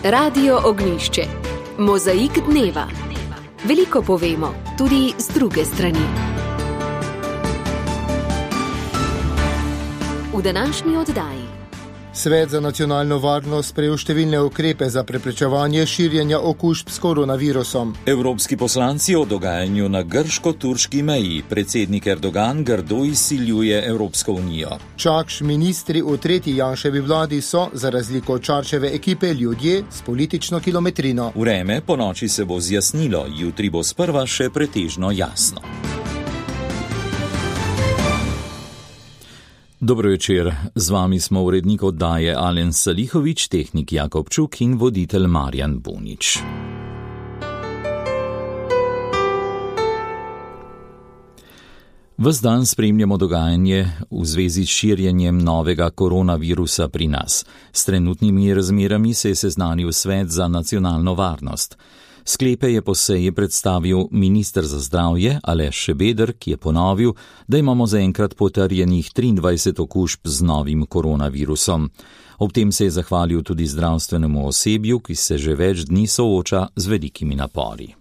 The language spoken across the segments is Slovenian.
Radio Ognjišče. Mozaik dneva. Veliko povemo, tudi z druge strani. V današnji oddaji. Svet za nacionalno varnost sprejel številne ukrepe za preprečevanje širjenja okužb s koronavirusom. Evropski poslanci o dogajanju na grško-turški meji. Predsednik Erdogan grdo izsiljuje Evropsko unijo. Čakš ministri v tretji Janševi vladi so, za razliko od Čarčeve ekipe, ljudje s politično kilometrino. Vreme po noči se bo zjasnilo, jutri bo sprva še pretežno jasno. Dobro večer, z vami smo urednik oddaje Alen Salihovič, tehnik Jakob Čuk in voditelj Marjan Bunič. Ves dan spremljamo dogajanje v zvezi s širjenjem novega koronavirusa pri nas. S trenutnimi razmerami se je seznanil Svet za nacionalno varnost. Sklepe je po seji predstavil minister za zdravje Aleš Šebeder, ki je ponovil, da imamo zaenkrat potrjenih 23 okužb z novim koronavirusom. Ob tem se je zahvalil tudi zdravstvenemu osebju, ki se že več dni sooča z velikimi napori.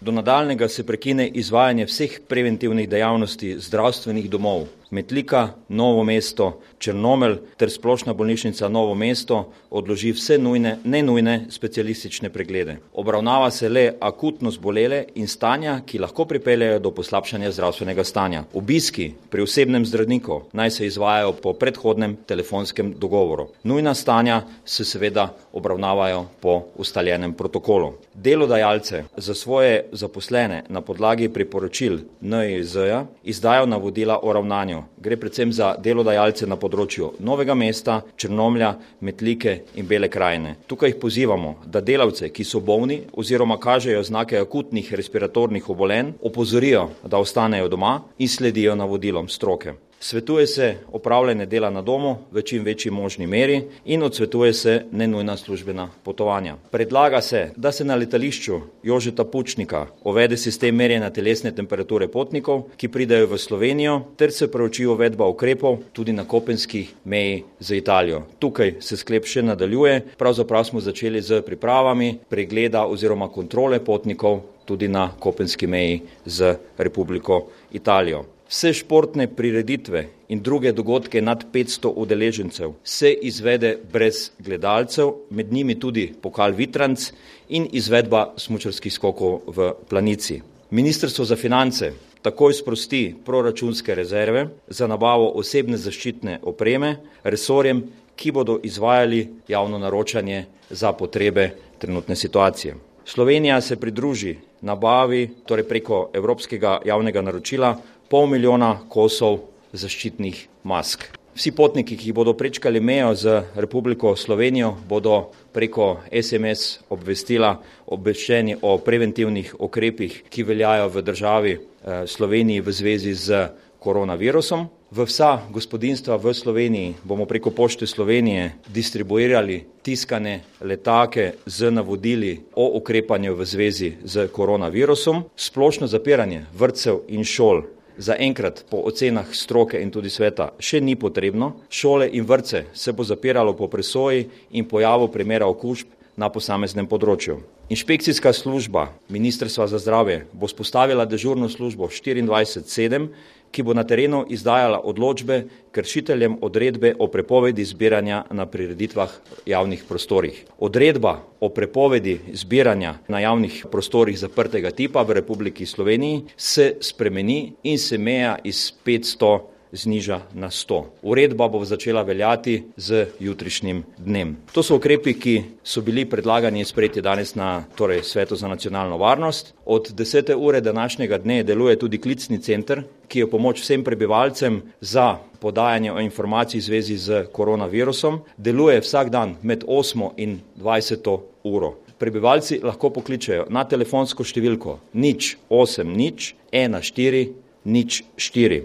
Do nadaljnjega se prekine izvajanje vseh preventivnih dejavnosti zdravstvenih domov Metlika, Novo mesto, Črnomelj ter Splošna bolnišnica Novo mesto odloži vse nenujne specialistične preglede. Obravnava se le akutno zbolele in stanja, ki lahko pripeljejo do poslabšanja zdravstvenega stanja. Obiski pri osebnem zdravniku naj se izvajajo po predhodnem telefonskem dogovoru. Nujna stanja se seveda obravnavajo po ustaljenem protokolu. Delodajalce za svoje zaposlene na podlagi priporočil NIJZ-ja izdajo navodila o ravnanju. Gre predvsem za delodajalce na področju Novega mesta, Črnomlja, Metlike in Bele krajine. Tukaj jih pozivamo, da delavce, ki so bolni oziroma kažejo znake akutnih respiratornih obolenj, opozorijo, da ostanejo doma in sledijo navodilom stroke. Svetuje se opravljanje dela na domu v čim večji možni meri in odsvetuje se nenujna službena potovanja. Predlaga se, da se na letališču Jožeta Pučnika uvede sistem merjenja telesne temperature potnikov, ki pridejo v Slovenijo, ter se preuči uvedba ukrepov tudi na kopenskih meji z Italijo. Tukaj se sklep še nadaljuje, pravzaprav smo začeli z pripravami pregleda oziroma kontrole potnikov tudi na kopenski meji z Republiko Italijo. Vse športne prireditve in druge dogodke nad 500 udeležencev se izvede brez gledalcev, med njimi tudi pokal Vitranc in izvedba smučarskih skokov v Planici. Ministrstvo za finance takoj sprosti proračunske rezerve za nabavo osebne zaščitne opreme resorjem, ki bodo izvajali javno naročanje za potrebe trenutne situacije. Slovenija se pridruži nabavi, torej preko Evropskega javnega naročila, 500,000 kosov zaščitnih mask. Vsi potniki, ki bodo prečkali mejo z Republiko Slovenijo, bodo preko SMS obvestila obveščeni o preventivnih ukrepih, ki veljajo v državi Sloveniji v zvezi z koronavirusom. V vsa gospodinjstva v Sloveniji bomo preko Pošte Slovenije distribuirali tiskane letake z navodili o ukrepanju v zvezi z koronavirusom. Splošno zapiranje vrtcev in šol zaenkrat po ocenah stroke in tudi sveta še ni potrebno. Šole in vrtce se bo zapiralo po presoji in pojavu primera okužb na posameznem področju. Inšpekcijska služba Ministrstva za zdravje bo vzpostavila dežurno službo 24/7, ki bo na terenu izdajala odločbe kršiteljem odredbe o prepovedi zbiranja na prireditvah javnih prostorih. Odredba o prepovedi zbiranja na javnih prostorih zaprtega tipa v Republiki Sloveniji se spremeni in se meja iz 500 zniža na 100. Uredba bo začela veljati z jutrišnjim dnem. To so ukrepi, ki so bili predlagani in sprejeti danes na Svetu za nacionalno varnost. Od 10. ure današnjega dne deluje tudi klicni center, ki je pomoč vsem prebivalcem za podajanje informacij v zvezi z koronavirusom. Deluje vsak dan med 8. in 20. uro. Prebivalci lahko pokličejo na telefonsko številko 080 14 04.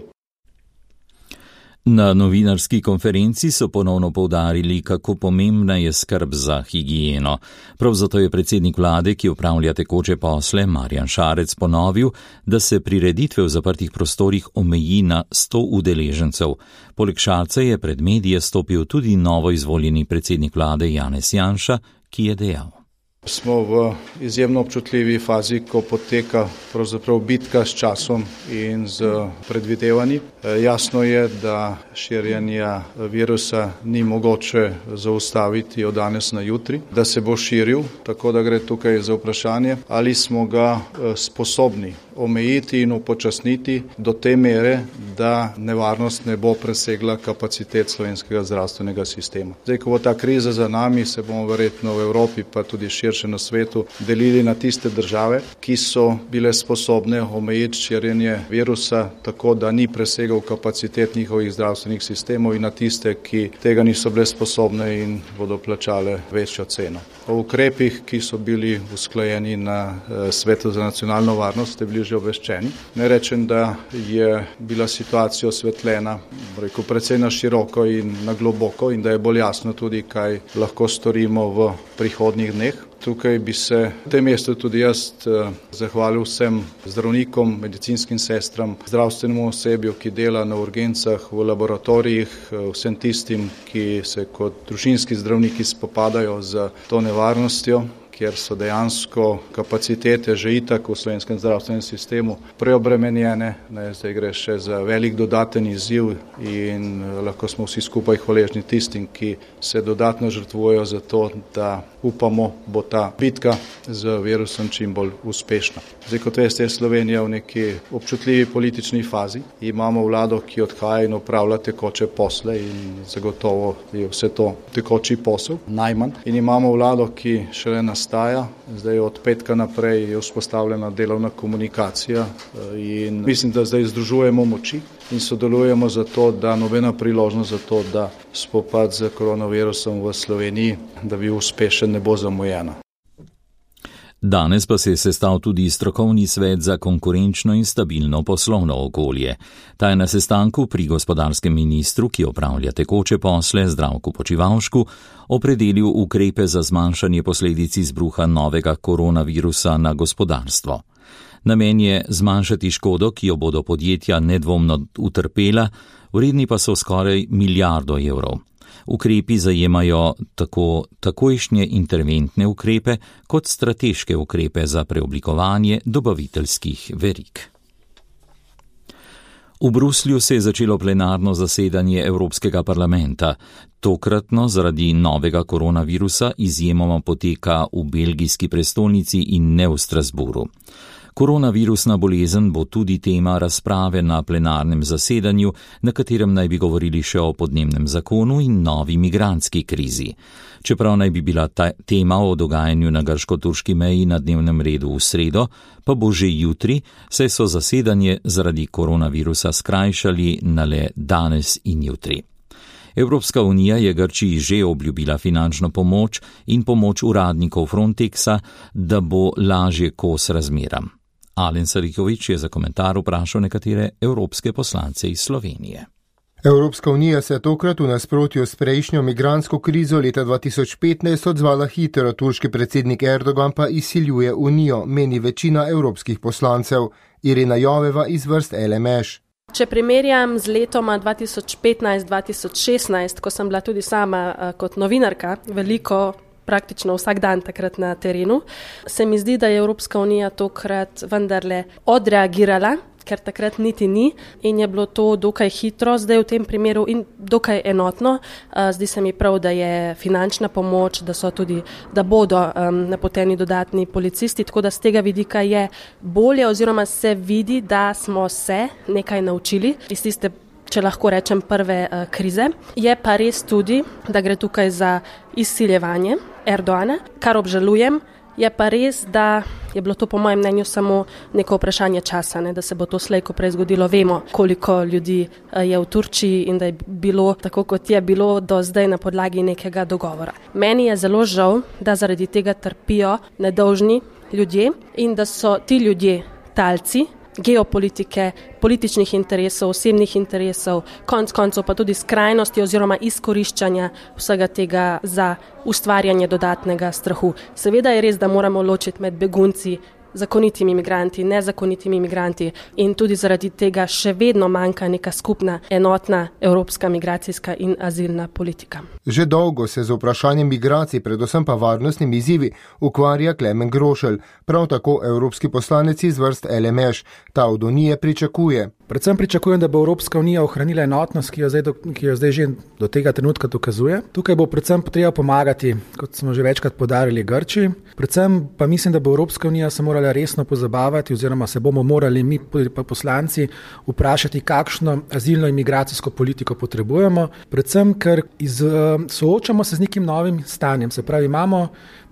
Na novinarski konferenci so ponovno poudarili, kako pomembna je skrb za higieno. Prav zato je predsednik vlade, ki opravlja tekoče posle, Marjan Šarec, ponovil, da se prireditve v zaprtih prostorih omeji na 100 udeležencev. Poleg Šarca je pred medije stopil tudi novo izvoljeni predsednik vlade Janez Janša, ki je dejal: Smo v izjemno občutljivi fazi, ko poteka pravzaprav bitka s časom in z predvidevanji. Jasno je, da širjenja virusa ni mogoče zaustaviti od danes na jutri, da se bo širil, tako da gre tukaj za vprašanje, ali smo ga sposobni omejiti in upočasniti do te mere, da nevarnost ne bo presegla kapacitet slovenskega zdravstvenega sistema. Zdaj, ko bo ta kriza za nami, se bomo verjetno v Evropi, pa tudi širše na svetu, delili na tiste države, ki so bile sposobne omejiti širjenje virusa tako, da ni presegal kapacitet njihovih zdravstvenih sistemov, in na tiste, ki tega niso bile sposobne in bodo plačale večjo ceno. O ukrepih, ki so bili usklajeni na Svetu za nacionalno varnost, ste bili že obveščeni. Ne rečem, da je bila situacija osvetljena, precej na široko in na globoko, in da je bolj jasno tudi, kaj lahko storimo v prihodnjih dneh. Tukaj bi se v tem mestu tudi jaz zahvalil vsem zdravnikom, medicinskim sestram, zdravstvenemu osebju, ki dela na urgencah, v laboratorijih, vsem tistim, ki se kot družinski zdravniki spopadajo z to nevarnostjo, kjer so dejansko kapacitete že itak v slovenskem zdravstvenem sistemu preobremenjene. Zdaj gre še za velik dodaten izziv in lahko smo vsi skupaj hvaležni tistim, ki se dodatno žrtvujejo za to, da upamo, bo ta bitka z virusom čim bolj uspešna. Zdaj, kot veste, je Slovenija v neki občutljivi politični fazi. Imamo vlado, ki odhaja in opravlja tekoče posle, in zagotovo je vse to tekoči posel, najmanj. In imamo vlado, ki šele nastaja. Zdaj od petka naprej je vzpostavljena delovna komunikacija in mislim, da zdaj združujemo moči in sodelujemo za to, da nobena priložnost za to, da spopad z koronavirusom v Sloveniji, da bi uspešen, ne bo zamujena. Danes pa se je sestal tudi strokovni svet za konkurenčno in stabilno poslovno okolje. Ta je na sestanku pri gospodarskem ministru, ki opravlja tekoče posle, Zdravku Počivalšku, opredelil ukrepe za zmanjšanje posledic izbruha novega koronavirusa na gospodarstvo. Namen je zmanjšati škodo, ki jo bodo podjetja nedvomno utrpela, vredni pa so skoraj milijardo evrov. Ukrepi zajemajo tako takojšnje interventne ukrepe kot strateške ukrepe za preoblikovanje dobaviteljskih verig. V Bruslju se je začelo plenarno zasedanje Evropskega parlamenta. Tokratno zaradi novega koronavirusa izjemoma poteka v belgijski prestolnici in ne v Strasburu. Koronavirusna bolezen bo tudi tema razprave na plenarnem zasedanju, na katerem naj bi govorili še o podnebnem zakonu in novi migrantski krizi. Čeprav naj bi bila ta tema o dogajanju na grško-turški meji na dnevnem redu v sredo, pa bo že jutri, saj so zasedanje zaradi koronavirusa skrajšali na le danes in jutri. Evropska unija je Grčiji že obljubila finančno pomoč in pomoč uradnikov Frontexa, da bo lažje kos razmeram. Alen Sarikovič je za komentar vprašal nekatere evropske poslance iz Slovenije. Evropska unija se je tokrat v nasprotju s prejšnjo migrantsko krizo leta 2015 odzvala hitro, turški predsednik Erdogan pa izsiljuje unijo, meni večina evropskih poslancev. Irina Joveva iz vrst LMŠ. Če primerjam z letoma 2015-2016, ko sem bila tudi sama kot novinarka, praktično vsak dan takrat na terenu, se mi zdi, da je Evropska unija tokrat vendarle odreagirala, ker takrat niti ni in je bilo to dokaj hitro, zdaj v tem primeru in dokaj enotno. Zdi se mi prav, da je finančna pomoč, da bodo napoteni dodatni policisti, tako da z tega vidika je bolje oziroma se vidi, da smo se nekaj naučili iz tiste, če lahko rečem, prve krize. Je pa res tudi, da gre tukaj za izsiljevanje Erdogana, kar obžalujem. Je pa res, da je bilo to po mojem mnenju samo neko vprašanje časa, da se bo to slej ko prej zgodilo. Vemo, koliko ljudi je v Turčiji in da je bilo tako, kot je bilo do zdaj na podlagi nekega dogovora. Meni je zelo žal, da zaradi tega trpijo nedolžni ljudje in da so ti ljudje talci geopolitike, političnih interesov, osebnih interesov, konec koncev pa tudi skrajnosti oziroma izkoriščanja vsega tega za ustvarjanje dodatnega strahu. Seveda je res, da moramo ločiti med begunci zakonitimi imigranti, nezakonitimi imigranti in tudi zaradi tega še vedno manjka neka skupna, enotna evropska migracijska in azilna politika. Že dolgo se z vprašanjem migracij, predvsem pa varnostnimi izzivi, ukvarja Klemen Grošelj, prav tako evropski poslanec iz vrst LMŠ. Ta od Unije pričakuje. Predvsem pričakujem, da bo Evropska unija ohranila enotnost, ki jo zdaj že do tega trenutka dokazuje. Tukaj bo predvsem treba pomagati, kot smo že večkrat podarili, Grčiji. Predvsem pa mislim, da bo Evropska unija se morala resno pozabavati oziroma se bomo morali mi poslanci vprašati, kakšno azilno in migracijsko politiko potrebujemo. Predvsem, ker soočamo se z nekim novim stanjem. Se pravi, imamo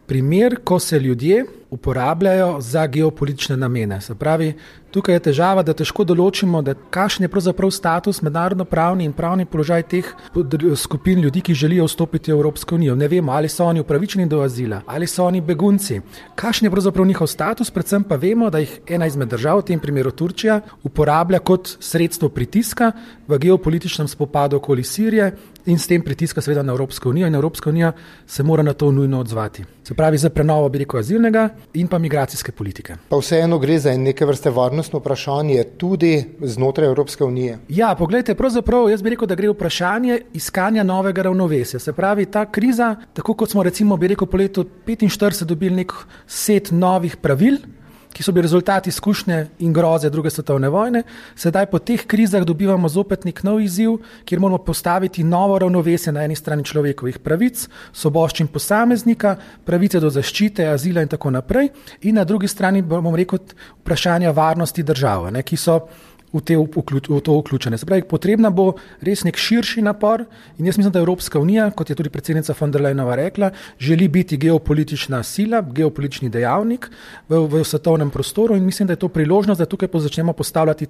primer, ko se ljudje uporabljajo za geopolitične namene. Se pravi, tukaj je težava, da težko določimo, da kakšen je pravzaprav status, mednarodno-pravni in pravni položaj teh skupin ljudi, ki želijo vstopiti v Evropsko unijo. Ne vemo, ali so oni upravičeni do azila, ali so oni begunci. Kakšen je pravzaprav njihov status, predvsem pa vemo, da jih ena izmed držav, v tem primeru Turčija, uporablja kot sredstvo pritiska v geopolitičnem spopadu okoli Sirije in s tem pritiska seveda na Evropsko unijo in Evropska unija se mora na to nujno odzvati. Se pravi, za prenovo azilnega in pa migracijske politike. Pa vseeno gre za neke vrste varnostno vprašanje tudi znotraj Evropske unije. Ja, poglejte, pravzaprav jaz bi rekel, da gre vprašanje iskanja novega ravnovesja. Se pravi, ta kriza, tako kot smo recimo po letu 1945 dobili nek set novih pravil, ki so bili rezultati izkušnje in groze druge svetovne vojne, sedaj po teh krizah dobivamo zopet nek nov izziv, kjer moramo postaviti novo ravnovesje na eni strani človekovih pravic, svoboščin posameznika, pravice do zaščite, azila in tako naprej, in na drugi strani bomo rekel vprašanja varnosti države, ki so v to vključene. Se pravi, potrebna bo res nek širši napor in jaz mislim, da Evropska unija, kot je tudi predsednica von der Leyenova rekla, želi biti geopolitična sila, geopolitični dejavnik v svetovnem prostoru in mislim, da je to priložnost, da tukaj začnemo postavljati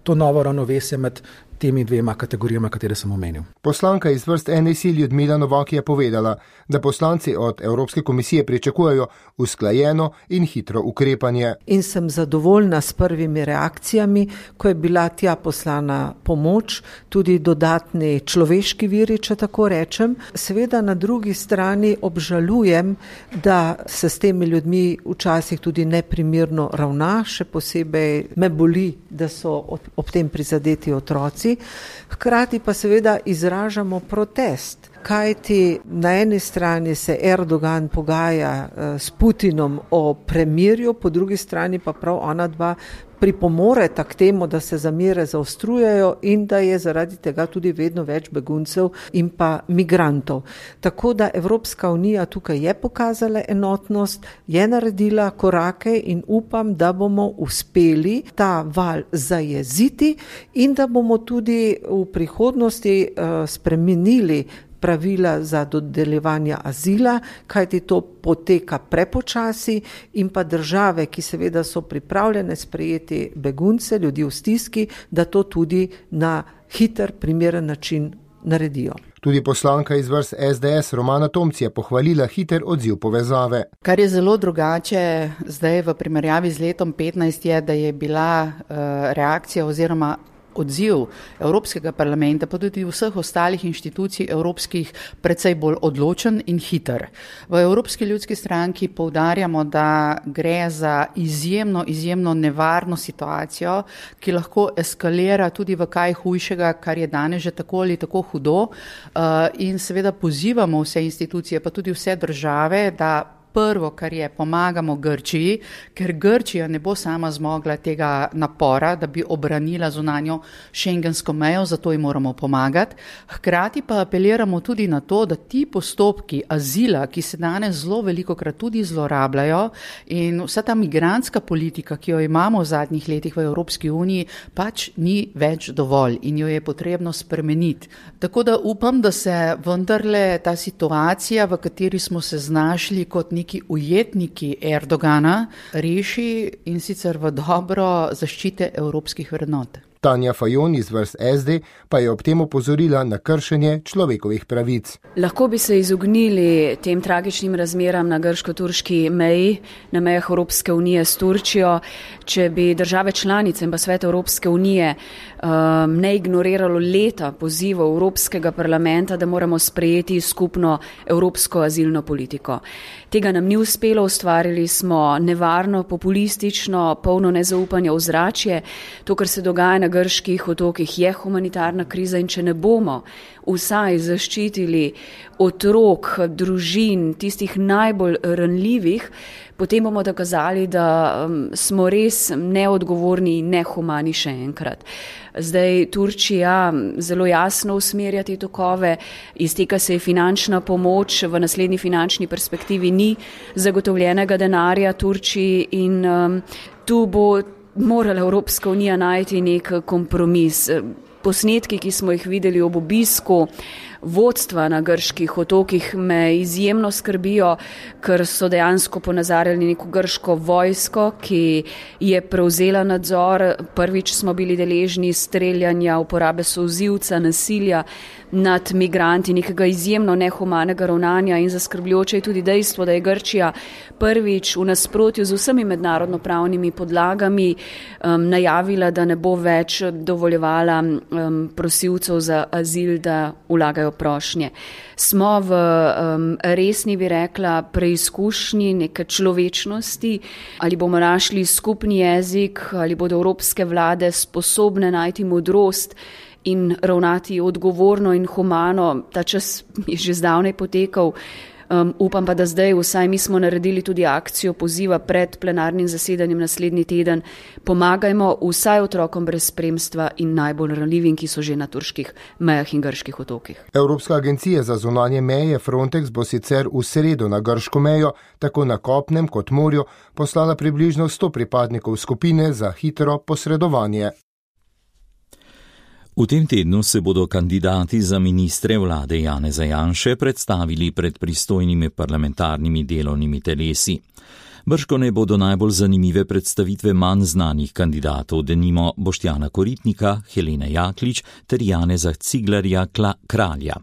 to novo ravnovesje med temi dvema kategorijama, katere sem omenil. Poslanka iz vrst NSI Ljudmila Novak je povedala, da poslanci od Evropske komisije pričakujejo usklajeno in hitro ukrepanje. In sem zadovoljna s prvimi reakcijami, ko je bila tja poslana pomoč, tudi dodatni človeški viri, če tako rečem. Seveda na drugi strani obžalujem, da se s temi ljudmi včasih tudi neprimerno ravna, še posebej me boli, da so ob tem prizadeti otroci. Hkrati pa seveda izražamo protest, kajti na eni strani se Erdogan pogaja s Putinom o premirju, po drugi strani pa prav ona dva pripomoreta k temu, da se zamere zaostrujejo in da je zaradi tega tudi vedno več beguncev in pa migrantov. Tako da Evropska unija tukaj je pokazala enotnost, je naredila korake in upam, da bomo uspeli ta val zajeziti in da bomo tudi v prihodnosti spremenili pravila za dodeljevanje azila, kajti to poteka prepočasi in pa države, ki seveda so pripravljene sprejeti begunce, ljudi v stiski, da to tudi na hiter, primeren način naredijo. Tudi poslanka iz vrst SDS Romana Tomc je pohvalila hiter odziv povezave. Kar je zelo drugače zdaj v primerjavi z letom 2015 je, da je bila reakcija oziroma odziv Evropskega parlamenta, pa tudi vseh ostalih inštitucij evropskih precej bolj odločen in hiter. V Evropski ljudski stranki poudarjamo, da gre za izjemno nevarno situacijo, ki lahko eskalira tudi v kaj hujšega, kar je danes že tako ali tako hudo, in seveda pozivamo vse institucije, pa tudi vse države, da prvo, kar je, pomagamo Grčiji, ker Grčija ne bo sama zmogla tega napora, da bi obranila zunanjo šengensko mejo, zato jim moramo pomagati. Hkrati pa apeliramo tudi na to, da ti postopki azila, ki se danes zelo velikokrat tudi zlorabljajo in vsa ta migrantska politika, ki jo imamo v zadnjih letih v Evropski uniji, pač ni več dovolj in jo je potrebno spremeniti. Tako da upam, da se vendarle ta situacija, v kateri smo se znašli kot neki ujetniki Erdogana, reši in sicer v dobro zaščite evropskih vrednot. Tanja Fajon iz vrst SD pa je ob tem opozorila na kršenje človekovih pravic. Lahko bi se izognili tem tragičnim razmeram na grško-turški meji, na mejah Evropske unije s Turčijo, če bi države članice in pa Svet Evropske unije ne ignoriralo leta pozivov Evropskega parlamenta, da moramo sprejeti skupno evropsko azilno politiko. Tega nam ni uspelo, ustvarili smo nevarno, populistično, polno nezaupanja ozračje. To, kar se dogaja na grških otokih, je humanitarna kriza in če ne bomo vsaj zaščitili otrok, družin, tistih najbolj ranljivih, potem bomo dokazali, da smo res neodgovorni in nehumani še enkrat. Zdaj Turčija zelo jasno usmerja te tokove, izteka se je finančna pomoč, v naslednji finančni perspektivi ni zagotovljenega denarja Turčiji in tu bo morala Evropska unija najti nek kompromis. Posnetki, ki smo jih videli ob obisku vodstva na grških otokih, me izjemno skrbijo, ker so dejansko ponazarjali neko grško vojsko, ki je prevzela nadzor. Prvič smo bili deležni streljanja, uporabe solzivca, nasilja nad migranti, nekega izjemno nehumanega ravnanja in zaskrbljujoče je tudi dejstvo, da je Grčija prvič v nasprotju z vsemi mednarodnopravnimi podlagami najavila, da ne bo več dovoljevala prosilcev za azil, da vlagajo prošnje. Smo v resni, bi rekla, preizkušnji neke človečnosti, ali bomo našli skupni jezik, ali bodo evropske vlade sposobne najti modrost in ravnati odgovorno in humano. Ta čas je že zdavnaj potekal. Upam pa, da zdaj vsaj mi smo naredili tudi akcijo poziva pred plenarnim zasedanjem naslednji teden. Pomagajmo vsaj otrokom brez spremstva in najbolj ranljivim, ki so že na turških mejah in grških otokih. Evropska agencija za zunanje meje Frontex bo sicer v sredo na grško mejo, tako na kopnem kot morju, poslala približno 100 pripadnikov skupine za hitro posredovanje. V tem tednu se bodo kandidati za ministre vlade Janeza Janše predstavili pred pristojnimi parlamentarnimi delovnimi telesi. Bržkone bodo najbolj zanimive predstavitve manj znanih kandidatov, denimo Boštjana Koritnika, Helene Jaklič ter Janeza Ciglerja Kralja.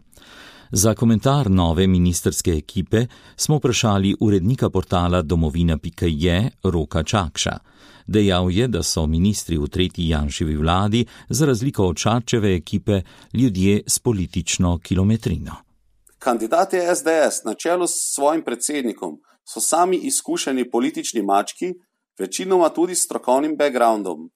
Za komentar nove ministrske ekipe smo vprašali urednika portala domovina.je Roka Čakša. Dejal je, da so ministri v tretji Janševi vladi, za razliko od Šarčeve ekipe, ljudje s politično kilometrino. Kandidati SDS na čelu s svojim predsednikom so sami izkušeni politični mački, večinoma tudi s strokovnim backgroundom.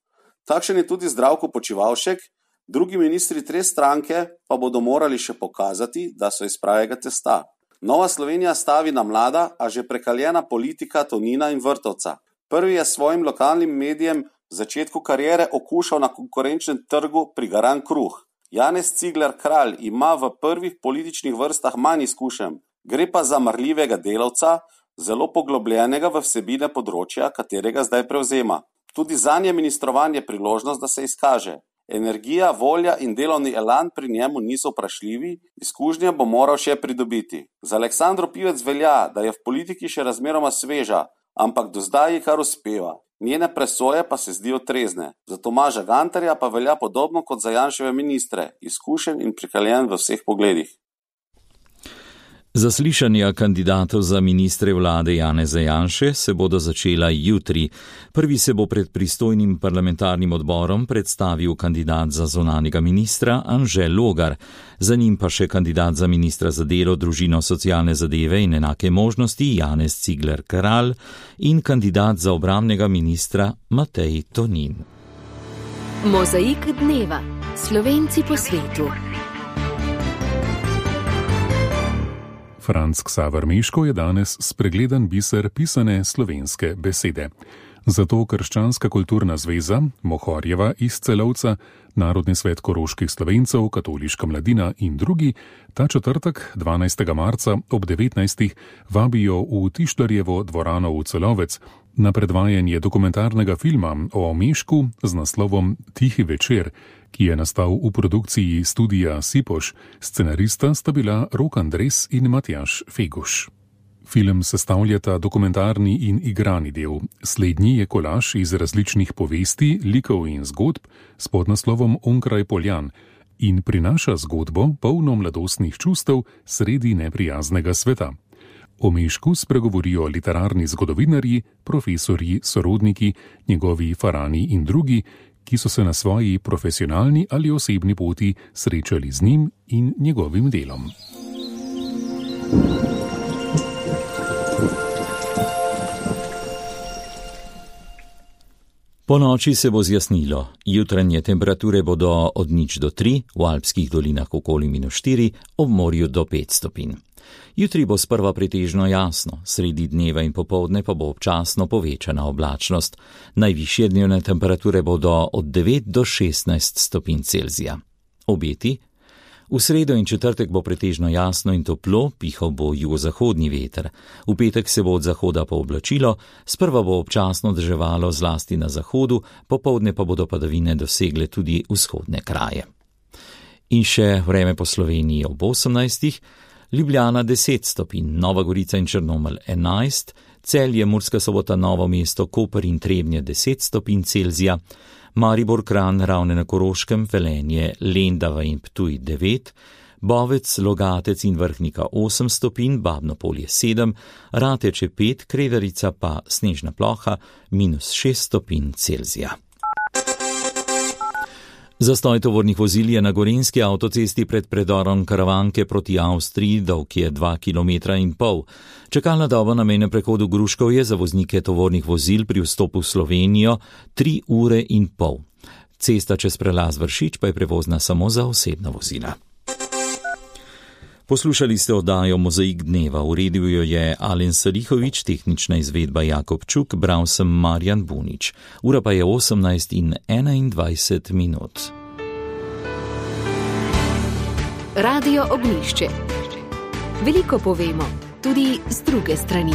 Takšen je tudi Zdravko Počivalšek, drugi ministri te stranke pa bodo morali še pokazati, da so iz pravega testa. Nova Slovenija stavi na mlada, a že prekaljena politika Tonina in Vrtovca. Prvi je svojim lokalnim medijem v začetku kariere okušal na konkurenčnem trgu prigaran kruh. Janez Cigler Kralj ima v prvih političnih vrstah manj izkušenj. Gre pa za marljivega delavca, zelo poglobljenega v vsebine področja, katerega zdaj prevzema. Tudi zanje ministrovanje priložnost, da se izkaže. Energija, volja in delovni elan pri njemu niso vprašljivi, izkušnje bo moral še pridobiti. Za Aleksandro Pivec velja, da je v politiki še razmeroma sveža, ampak do zdaj ji kar uspeva. Njene presoje pa se zdijo trezne. Za Tomaža Gantarja pa velja podobno kot za Janševe ministre, izkušen in prikaljen v vseh pogledih. Zaslišanja kandidatov za ministre vlade Janeza Janše se bodo začela jutri. Prvi se bo pred pristojnim parlamentarnim odborom predstavil kandidat za zunanjega ministra Anže Logar, za njim pa še kandidat za ministra za delo, družino, socialne zadeve in enake možnosti Janez Cigler Kralj in kandidat za obrambnega ministra Matej Tonin. Mozaik dneva. Slovenci po svetu. Franc Ksaver Meško je danes spregledan biser pisane slovenske besede. Zato Krščanska kulturna zveza, Mohorjeva iz Celovca, Narodni svet koroških Slovencev, Katoliška mladina in drugi ta četrtek 12. marca ob 19. vabijo v Tištarjevo dvorano v Celovec na predvajanje dokumentarnega filma o Mešku z naslovom Tihi večer, ki je nastal v produkciji studija Sipoš. Scenarista sta bila Rok Andres in Matjaž Feguš. Film sestavljata dokumentarni in igrani del. Slednji je kolaž iz različnih povesti, likov in zgodb s podnaslovom Onkraj Poljan in prinaša zgodbo polno mladostnih čustev sredi neprijaznega sveta. O Mežku spregovorijo literarni zgodovinarji, profesorji, sorodniki, njegovi farani in drugi, ki so se na svoji profesionalni ali osebni poti srečali z njim in njegovim delom. Po noči se bo zjasnilo. Jutranje temperature bodo od 0 do 3, v alpskih dolinah okoli -4, ob morju do 5 stopinj. Jutri bo sprva pretežno jasno, sredi dneva in popoldne pa bo občasno povečana oblačnost. Najvišje dnevne temperature bodo od 9 do 16 stopinj Celzija. Obeti? V sredo in četrtek bo pretežno jasno in toplo, pihal bo jugozahodni veter. V petek se bo od zahoda pooblačilo, sprva bo občasno deževalo zlasti na zahodu, popoldne pa bodo padavine dosegle tudi vzhodne kraje. In še vreme po Sloveniji ob 18. Ljubljana 10 stopinj, Nova Gorica in Črnomelj 11, Celje, Murska Sobota, Novo mesto, Koper in Trebnje 10 stopinj Celzija, Maribor, Kranj, Ravne na Koroškem, Velenje, Lendava in Ptuj 9, Bovec, Logatec in Vrhnika 8 stopinj, Babno Polje 7, Rateče 5, Kredarica pa snežna ploha -6 stopinj Celzija. Zastoj tovornih vozil je na gorenjski avtocesti pred predorom Karavanke proti Avstriji, dolg je 2,5 km. Čakalna doba na mejnem prehodu Gruškovje za voznike tovornih vozil pri vstopu v Slovenijo 3,5 ure. Cesta čez prelaz Vršič pa je prevozna samo za osebna vozila. Poslušali ste oddajo Mozaik dneva, uredil jo je Alen Salihovič, tehnična izvedba Jakob Čuk, bral sem Marjan Bunič. Ura pa je 18:21. Radio Ognjišče. Veliko povemo, tudi z druge strani.